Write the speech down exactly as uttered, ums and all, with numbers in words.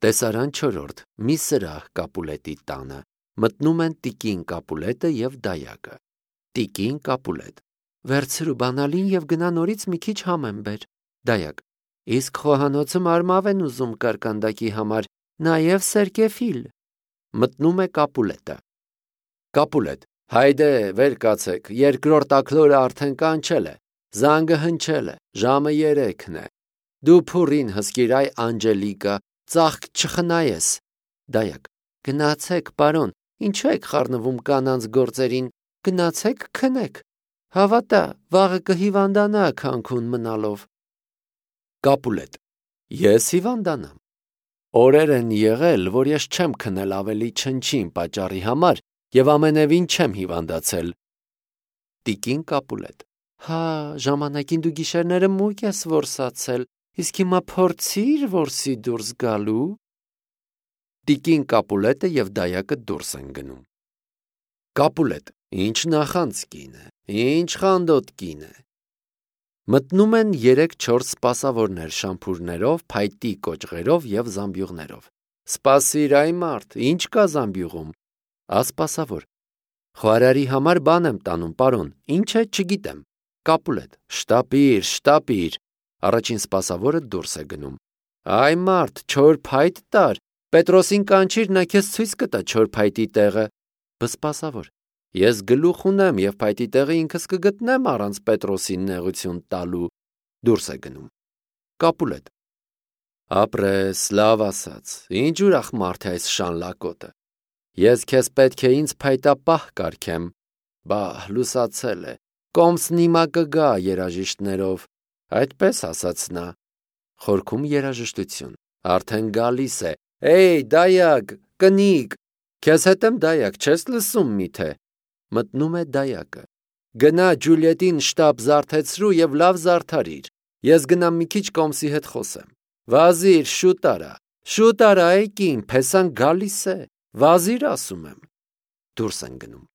Տեսարան չորրորդ. մի սրահ Կապուլետի տանը, մտնում են տիկին Կապուլետը և դայակը։ Տիկին Կապուլետ. վերցրու բանալին և գնա նորից մի քիչ համ եմ բեր։ Դայակ. իսկ խոհանոցը մարմավ են ուզում կարկանդակի համար, նաև սերկեֆիլ։ Մտնում է Կապուլետը։ Կապուլետ. հայդե վեր կացեք, երկրորդ աքլորը արդեն կանչել է, զանգը հնչել է, ժամը երեքն է։ Դու փուրին հսկիր այ Անջելիկա, ծաղկ չխնայես։ Դայակ. գնացեք, պարոն, ինչու եք խառնվում կանանց գործերին, գնացեք քնեք։ Հավատա, վաղը կհիվանդանա քանքուն մնալով։ Կապուլետ. ես հիվանդանամ։ Օրեր են եղել, որ ես չեմ քնել ավելի չնչին պատճառի համար և ամենևին չեմ հիվանդացել։ Տիկին Կապուլետ. հա, ժամանակին դու գիշերները մույկ ես որսացել, իսկ հիմա փորձիր որսի դուրս գալու։ Տիկին Կապուլետը և դայակը դուրս են գնում։ Կապուլետ. ինչ նախանց կին է, ինչ խանդոտ կին է։ Մտնում են երեք-չորս սպասավորներ շամփուրներով, փայտի կոճղերով և զամբյուղներով։ Սպասիր այ մարդ, ինչ կա զամբյուղում։ Ասպասավոր. խոհարարի համար բան եմ տանում, պարոն, ինչ է չգիտեմ։ Կապուլետ. շտապիր, շտապիր։ Առաջին սպասավորը դուրս է գնում։ Այ մարդ, չոր փայտ տար, Պետրոսին կանչիր, նա քեզ ցույց կտա չոր փայտի տեղը։ Բսպասավոր. ես գլուխ ունեմ և փայտի տեղը ինքս կգտնեմ առանց Պետրոսին նեղություն տալու։ Դուրս է գնում։ Կապուլետ. ապրես, լավ ասած, ինչ ուրախ մարդ է այս շանլակոտը։ Ես քեզ պետք է ինձ փայտապահ կարգեմ։ Բահ, լուսացել է, կոմսն իմա կգա երաժիշտներով, այդպես ասաց նա։ Խորքում երաժշտություն, արդեն գալիս է, Էյ, դայակ, կնիկ, քեզ հետ եմ դայակ, չես լսում միթե։ Մտնում է դայակը։ Գնա Ջուլիետին շտապ զարթեցրու և լավ զարդարիր, ես գնամ մի քիչ կոմսի հետ խոսեմ։ Վազիր, շուտ արա, շուտ արա, այ կին, փեսան գալիս է, վազիր ասում եմ։ Դուրս են գնում։